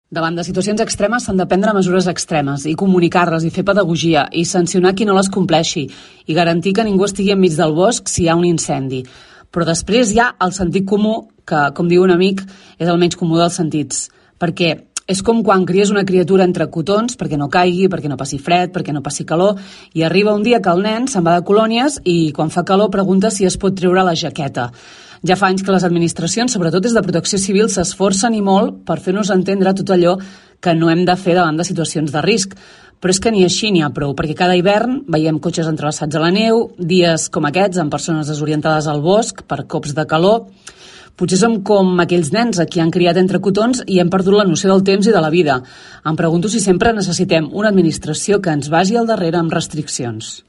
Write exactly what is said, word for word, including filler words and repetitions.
Davant de situacions extremes s'han de prendre mesures extremes i comunicar-les i fer pedagogia i sancionar qui no les compleixi i garantir que ningú estigui enmig del bosc si hi ha un incendi. Però després hi ha el sentit comú, que, com diu un amic, és el menys comú dels sentits. Perquè és com quan cries una criatura entre cotons perquè no caigui, perquè no passi fred, perquè no passi calor, i arriba un dia que el nen se'n va de colònies i quan fa calor pregunta si es pot treure la jaqueta. Ja fa anys que les administracions, sobretot des de Protecció Civil, s'esforcen i molt per fer-nos entendre tot allò que no hem de fer davant de situacions de risc. Però és que ni així n'hi ha prou, perquè cada hivern veiem cotxes entrelaçats a la neu, dies com aquests amb persones desorientades al bosc per cops de calor. Potser som com aquells nens a qui han criat entre cotons i hem perdut la noció del temps i de la vida. Em pregunto si sempre necessitem una administració que ens vagi al darrere amb restriccions.